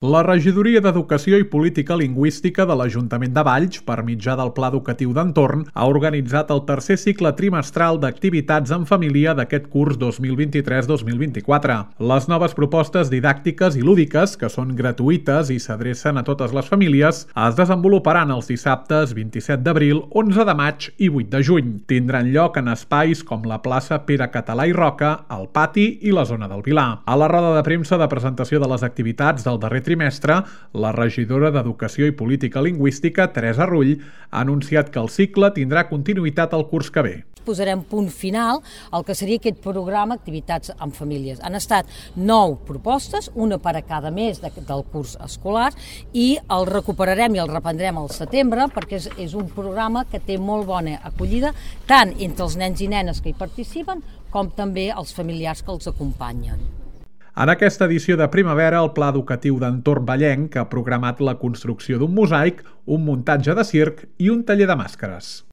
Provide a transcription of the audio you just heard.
La Regidoria d'Educació i Política Lingüística de l'Ajuntament de Valls, per mitjà del Pla Educatiu d'Entorn, ha organitzat el tercer cicle trimestral d'activitats en família d'aquest curs 2023-2024. Les noves propostes didàctiques i lúdiques, que són gratuïtes i s'adrecen a totes les famílies, es desenvoluparan els dissabtes 27 d'abril, 11 de maig i 8 de juny. Tindran lloc en espais com la plaça Pere Català i Roca, el pati i la zona del Vilar. A la roda de premsa de presentació de les activitats del darrer trimestre, la regidora d'Educació i Política Lingüística, Teresa Rull, ha anunciat que el cicle tindrà continuïtat el curs que ve. Posarem punt final al que seria aquest programa Activitats amb Famílies. Han estat 9 propostes, una per a cada mes del curs escolar, i el recuperarem i el reprendrem al setembre perquè és un programa que té molt bona acollida tant entre els nens i nenes que hi participen com també els familiars que els acompanyen. En aquesta edició de primavera, el Pla Educatiu d'Entorn Vallenc ha programat la construcció d'un mosaic, un muntatge de circ i un taller de màscares.